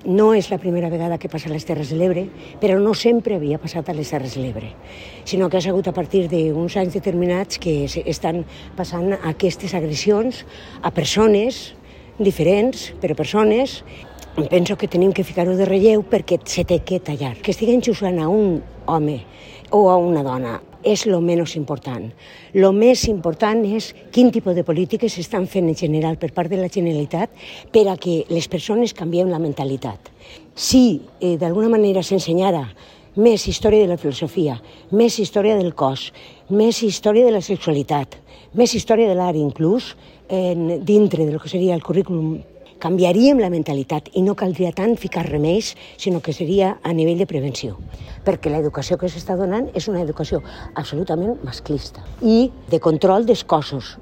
No és la primera vegada que passa a les Terres de l'Ebre, però no sempre havia passat a les Terres de l'Ebre, sinó que ha sigut a partir d'uns anys determinats que estan passant aquestes agressions a persones diferents, però persones. Penso que tenim que ficar-ho de relleu perquè se té que tallar. Que estiguen jugant a un home o a una dona és el menys important. El més important és quin tipus de polítiques s'estan fent en general per part de la Generalitat per a que les persones canviem la mentalitat. Si d'alguna manera s'ensenyara més història de la filosofia, més història del cos, més història de la sexualitat, més història de l'art inclús, dintre del que seria el currículum, canviaríem la mentalitat i no caldria tant ficar remeis, sinó que seria a nivell de prevenció. Perquè l'educació que s'està donant és una educació absolutament masclista i de control dels cossos.